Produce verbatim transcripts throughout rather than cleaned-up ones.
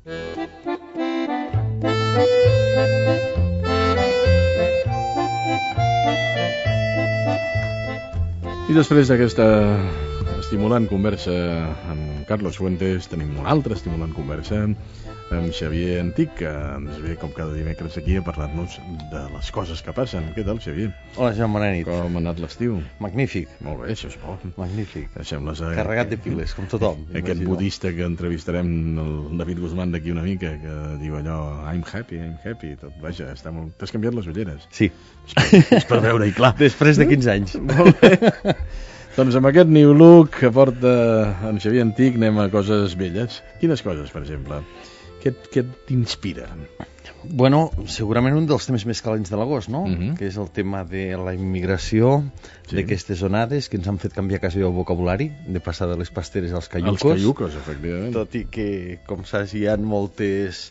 I després d'aquesta estimulant conversa amb Carlos Fuentes, tenim una altra estimulant conversa amb Xavier Antich, que ens ve com cada dimecres aquí a parlar-nos de les coses que passen. Què tal, Xavier? Hola, Joan, bona nit. Com ha anat l'estiu? Magnífic. Molt bé, això és bo. Magnífic. Sembles, eh, Carregat de piles, com tothom. Aquest budista que entrevistarem, el David Guzmán, d'aquí una mica, que diu allò, I'm happy, I'm happy, tot, vaja, està molt... T'has canviat les ulleres? Sí. És per veure-hi clar. Després de quinze anys. Molt bé. Doncs amb aquest new look que porta en Xavier Antich anem a coses velles. Quines coses, per exemple? Què, què t'inspira? Bueno, segurament un dels temes més calents de l'agost, no? Uh-huh. Que és el tema de la immigració, sí. D'aquestes onades que ens han fet canviar quasi el vocabulari, de passar de les pasteres als caiucos. Els caiucos, efectivament. Tot i que, com saps, hi ha moltes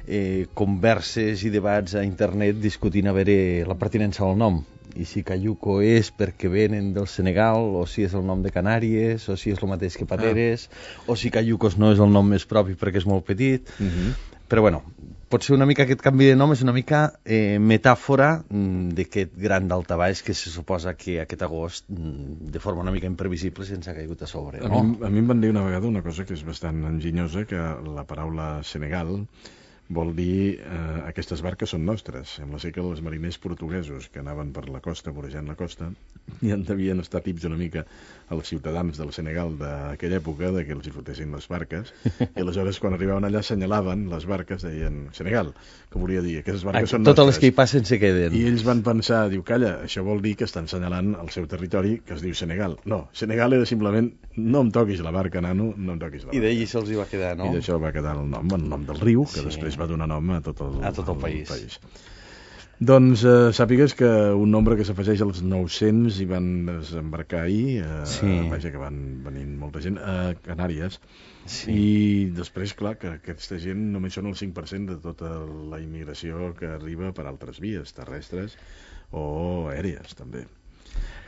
eh, converses i debats a internet discutint a veure la pertinença del nom. I si caiuco és perquè venen del Senegal, o si és el nom de Canàries, o si és el mateix que Pateres, ah. o si caiucos no és el nom més propi perquè és molt petit. Uh-huh. Però bueno, potser una mica aquest canvi de nom és una mica eh, metàfora mm, d'aquest gran daltabaix que se suposa que aquest agost, mm, de forma una mica imprevisible, se'ns ha caigut a sobre. No? A, mi, a mi em van dir una vegada una cosa que és bastant enginyosa, que la paraula Senegal vol dir eh, aquestes barques són nostres. Sembla ser que els mariners portuguesos que anaven per la costa, vorejant la costa, i en devien estar tips una mica als ciutadans del Senegal d'aquella època, de que els hi fotessin les barques, i aleshores quan arribaven allà assenyalaven les barques, deien Senegal, que volia dir aquestes barques ah, són totes nostres. Les que hi passen se queden. I ells van pensar, diu, calla, això vol dir que estan assenyalant el seu territori, que es diu Senegal. No, Senegal era simplement, no em toquis la barca, nano, no em toquis la barca. I d'ahir se'ls hi va quedar, no? I d'això va quedar el nom, el nom del riu, que sí. Després va donar nom a tot el, a tot el, el país. país. Doncs eh, sàpigues que un nombre que s'afegeix als nou-cents hi van desembarcar ahir, eh, sí. Vaja que van venint molta gent, a Canàries, sí. I després, clar, que aquesta gent només són el cinc per cent de tota la immigració que arriba per altres vies, terrestres o aèries, també.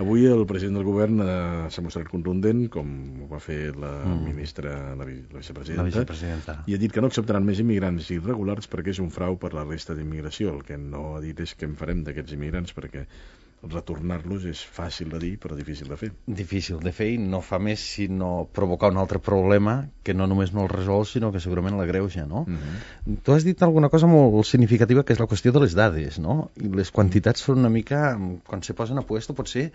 Avui el president del govern eh, s'ha mostrat contundent, com ho va fer la mm. ministra, la, la, vicepresidenta, la vicepresidenta, i ha dit que no acceptaran més immigrants irregulars perquè és un frau per la resta d'immigració. El que no ha dit és què en farem d'aquests immigrants, perquè retornar-los és fàcil de dir però difícil de fer. Difícil de fer i no fa més sinó provocar un altre problema que no només no el resol sinó que segurament l'agreuja, no? Uh-huh. Tu has dit alguna cosa molt significativa que és la qüestió de les dades, no? I les quantitats són una mica, quan se posen a puesto potser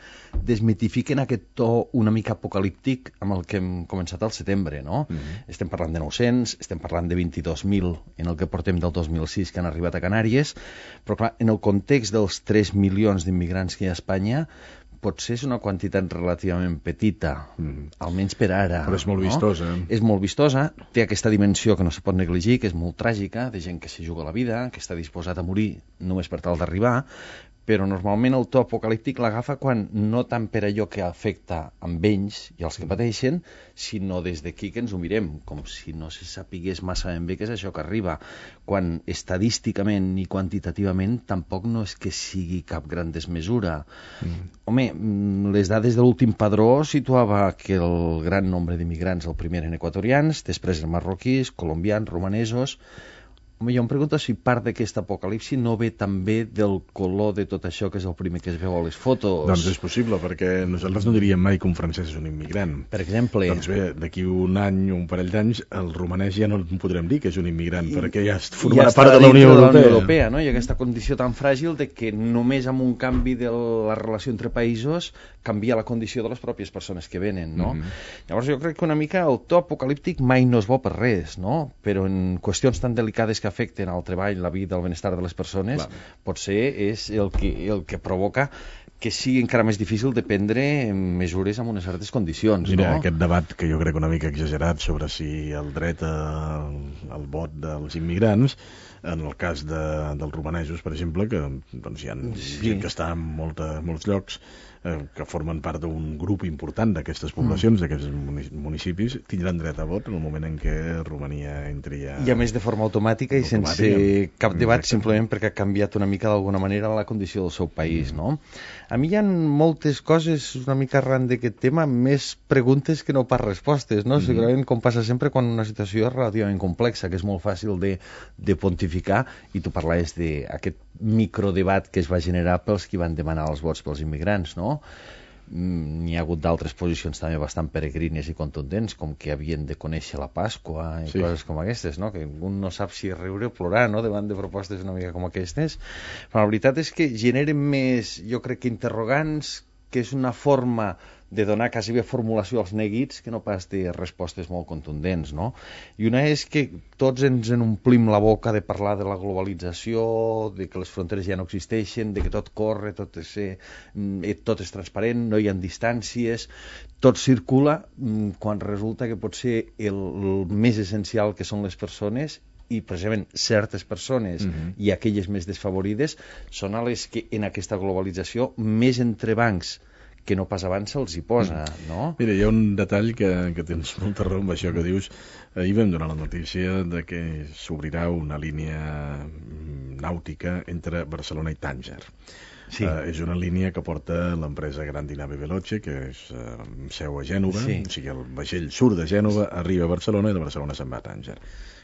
desmitifiquen aquest to una mica apocalíptic amb el que hem començat al setembre, no? Uh-huh. Estem parlant de nou-cents, estem parlant de vint-i-dos mil en el que portem del dos mil sis que han arribat a Canàries, però clar, en el context dels tres milions d'immigrants que hi ha a Espanya, potser és una quantitat relativament petita, mm. almenys per ara. Però és molt no? vistosa. És molt vistosa, té aquesta dimensió que no se pot negligir, que és molt tràgica, de gent que s'hi juga la vida, que està disposat a morir només per tal d'arribar, però normalment el to apocalíptic l'agafa quan no tant per allò que afecta amb ells i els que pateixen, sinó des d'aquí que ens ho mirem, com si no se sapigués massa ben bé què és això que arriba, quan estadísticament i quantitativament tampoc no és que sigui cap gran desmesura. Mm. Home, les dades de l'últim padró situava que el gran nombre d'immigrants, el primer eren equatorians, després eren marroquís, colombians, romanesos. Home, jo em pregunto si part d'aquest apocalipsi no ve també del color de tot això que és el primer que es veu a les fotos. Doncs és possible, perquè nosaltres no diríem mai que un francès és un immigrant. Per exemple. Doncs bé, d'aquí un any o un parell d'anys, el romanès ja no podrem dir que és un immigrant, I, perquè ja formarà ja part de la Unió Europea. De la Unió Europea, no? I aquesta condició tan fràgil de que només amb un canvi de la relació entre països canvia la condició de les pròpies persones que venen, no? Mm-hmm. Llavors jo crec que una mica el to apocalíptic mai no és bo per res, no? Però en qüestions tan delicades que afecten al treball, la vida, el benestar de les persones, clar, potser és el que, el que provoca que sigui encara més difícil de prendre mesures amb unes certes condicions. Mira, no? Aquest debat que jo crec una mica exagerat sobre si el dret al, al vot dels immigrants, en el cas de, dels romanesos, per exemple, que doncs, hi ha sí. gent que està en molta, molts llocs, eh, que formen part d'un grup important d'aquestes poblacions, mm. d'aquests municipis, tindran dret a vot en el moment en què Romania entri a... I a més de forma automàtica i sense cap debat, simplement perquè ha canviat una mica d'alguna manera la condició del seu país, mm. no? A mi hi ha moltes coses una mica arran d'aquest tema, més preguntes que no pas respostes, no? Mm. Segurament, com passa sempre quan una situació és relativament complexa, que és molt fàcil de, de pontificar, i tu parlaves d'aquest microdebat que es va generar pels qui van demanar els vots pels immigrants, no? N'hi ha hagut d'altres posicions també bastant peregrines i contundents, com que havien de conèixer la Pasqua i sí. coses com aquestes, no? Que un no sap si riure o plorar, no?, davant de propostes una mica com aquestes. Però la veritat és que generen més, jo crec que interrogants, que és una forma de donar quasi bé formulació als neguits que no pas de respostes molt contundents, no? I una és que tots ens en omplim la boca de parlar de la globalització, de que les fronteres ja no existeixen, de que tot corre, tot és, eh, tot és transparent, no hi ha distàncies, tot circula, quan resulta que pot ser el, el més essencial, que són les persones, i precisament certes persones mm-hmm. i aquelles més desfavorides són a les que en aquesta globalització més entrebancs que no pas abans se'ls hi posa, no? Mira, hi ha un detall que, que tens molta raó amb això que dius. Ahir vam donar la notícia de que s'obrirà una línia nàutica entre Barcelona i Tànger. Sí. Uh, és una línia que porta l'empresa Grandi Nave Veloce, que és uh, seu a Gènova, sí. O sigui, el vaixell surt de Gènova, arriba a Barcelona i de Barcelona se'n va a Tànger.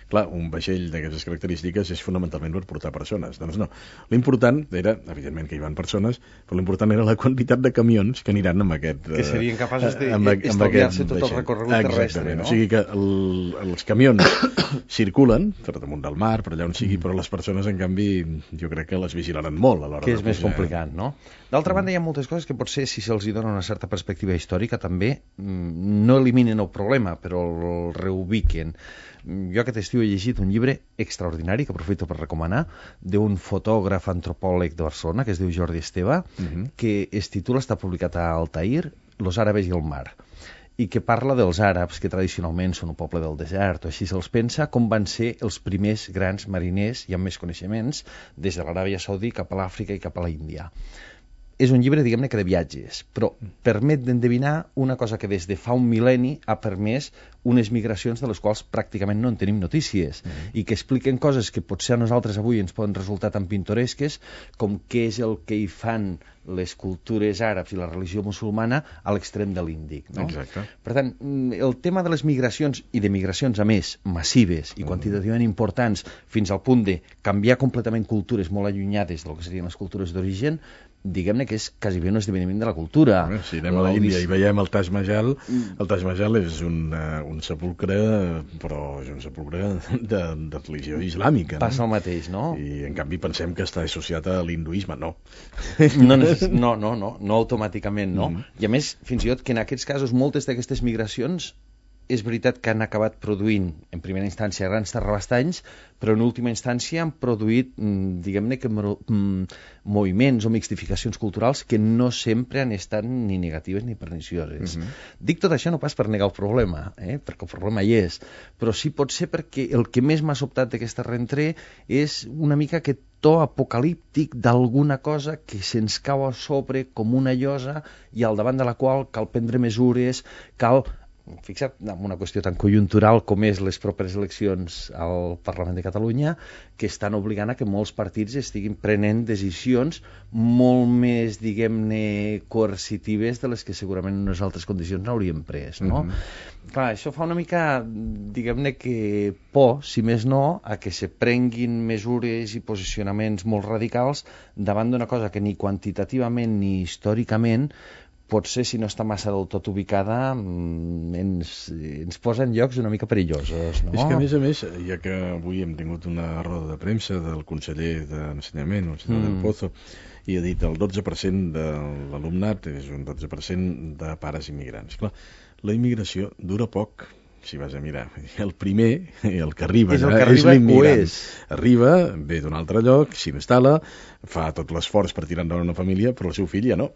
Clar, un vaixell d'aquestes característiques és fonamentalment per portar persones. Doncs no. L'important era, evidentment que hi van persones, però l'important era la quantitat de camions que aniran amb aquest... Que serien capaços d'estalviar-se tot el recorregut terrestre, no? O sigui que el, els camions circulen per damunt del mar, per allà on sigui, mm. però les persones, en canvi, jo crec que les vigilaran molt a l'hora que és de més complicat, no? D'altra banda, hi ha moltes coses que potser, si se'ls dona una certa perspectiva històrica, també no eliminen el problema, però el reubiquen. Jo aquest estiu he llegit un llibre extraordinari, que aprofito per recomanar, d'un fotògraf antropòleg de Barcelona, que es diu Jordi Esteve, uh-huh. que es titula, està publicat a Altair, Los árabes i el mar, i que parla dels àrabs, que tradicionalment són un poble del desert, o així se'ls pensa, com van ser els primers grans mariners i amb més coneixements des de l'Aràbia Saudí cap a l'Àfrica i cap a l'Índia. És un llibre, diguem-ne, que de viatges, però permet d'endevinar una cosa que des de fa un mil·lenni ha permès unes migracions de les quals pràcticament no en tenim notícies, mm-hmm. i que expliquen coses que potser a nosaltres avui ens poden resultar tan pintoresques com què és el que hi fan les cultures àrabs i la religió musulmana a l'extrem de l'Índic, no? Exacte. Per tant, el tema de les migracions, i de migracions a més massives i quantitativament importants, fins al punt de canviar completament cultures molt allunyades del que serien les cultures d'origen, diguem-ne que és quasi bé un esdeveniment de la cultura. Bé, si anem a l'Índia i veiem el Taj Mahal, el Taj Mahal és un, uh, un sepulcre, però és un sepulcre de, de religió islàmica. No? Passa el mateix, no? I en canvi pensem que està associat a l'hinduisme, no. No, no, no, no, no automàticament, no. Mm. I a més, fins i tot que en aquests casos moltes d'aquestes migracions és veritat que han acabat produint, en primera instància, grans terrabastanys, però en última instància han produït, diguem-ne, que moviments o mixtificacions culturals que no sempre han estat ni negatives ni pernicioses. Uh-huh. Dic tot això no pas per negar el problema, eh? Perquè el problema hi és, però sí pot ser perquè el que més m'ha sobtat d'aquesta rentrée és una mica aquest to apocalíptic d'alguna cosa que se'ns cau a sobre com una llosa i al davant de la qual cal prendre mesures, cal... Fixa't, en una qüestió tan conjuntural com és les properes eleccions al Parlament de Catalunya, que estan obligant a que molts partits estiguin prenent decisions molt més, diguem-ne, coercitives de les que segurament en unes altres condicions n'hauríem pres, no? Mm-hmm. Clar, això fa una mica, diguem-ne, que por, si més no, a que se prenguin mesures i posicionaments molt radicals davant d'una cosa que ni quantitativament ni històricament potser, si no està massa del tot ubicada, ens, ens posa en llocs una mica perillosos, no? És que, a més a més, ja que avui hem tingut una roda de premsa del conseller d'Ensenyament, el senyor mm. del Pozo, i ha dit el dotze per cent de l'alumnat és un dotze per cent de pares immigrants. Clar, la immigració dura poc, si vas a mirar. El primer, el que arriba, és, el que arriba és l'immigrant. Arriba, ve d'un altre lloc, s'instal·la, fa tot l'esforç per tirar endavant una família, però el seu fill ja no.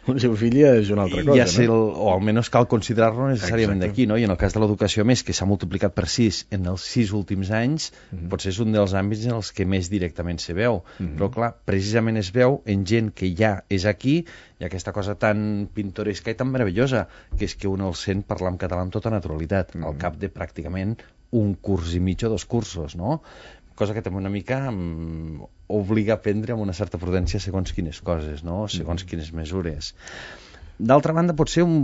El seu fill ja és una altra cosa, ja no? El, o almenys cal considerar-lo necessàriament d'aquí, no? I en el cas de l'educació, més, que s'ha multiplicat per sis en els sis últims anys, mm-hmm. potser és un dels àmbits en els que més directament se veu. Mm-hmm. Però, clar, precisament es veu en gent que ja és aquí hi ha aquesta cosa tan pintoresca i tan meravellosa, que és que un el sent parlar en català amb tota naturalitat, mm. al cap de pràcticament un curs i mig o dos cursos, no? Cosa que també una mica um, obliga a prendre amb una certa prudència segons quines coses, no? Segons mm. quines mesures. D'altra banda, potser un,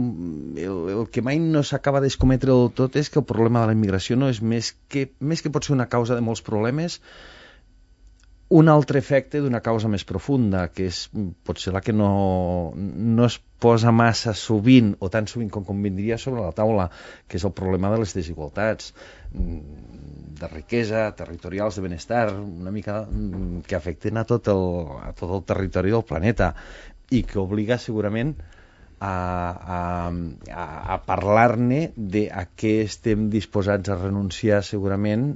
el, el que mai no s'acaba d'escometre del tot és que el problema de la immigració no és més que, més que pot ser una causa de molts problemes, un altre efecte d'una causa més profunda, que és potser la que no, no es posa massa sovint, o tan sovint com convindria, sobre la taula, que és el problema de les desigualtats de riquesa, territorials, de benestar, una mica que afecten a tot el, a tot el territori del planeta i que obliga segurament a, a, a, a parlar-ne de a què estem disposats a renunciar segurament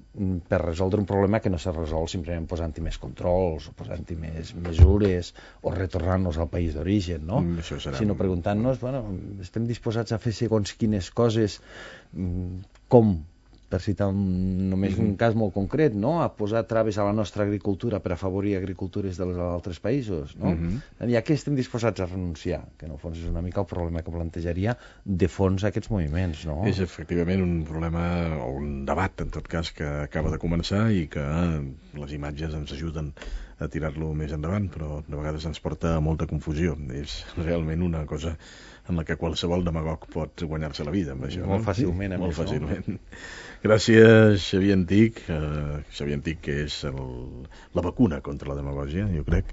per resoldre un problema que no se resol simplement posant-hi més controls o posant-hi més mesures o retornant-nos al país d'origen, no? Serà... sinó preguntant-nos, bueno, estem disposats a fer segons quines coses, com? Per citar un, només mm-hmm. un cas molt concret, no? A posar traves a la nostra agricultura per afavorir agricultures dels altres països, no? Mm-hmm. I a què estem disposats a renunciar? Que en el fons és una mica el problema que plantejaria de fons aquests moviments, no? És efectivament un problema, o un debat, en tot cas, que acaba de començar i que les imatges ens ajuden a tirar-lo més endavant, però de vegades ens porta a molta confusió. És realment una cosa en la que qualsevol demagog pot guanyar-se la vida amb això. Molt no? fàcilment, amb Molt això. fàcilment. Gràcies, Xavier Antich. Uh, Xavier Antich, que és el, la vacuna contra la demagògia, jo crec.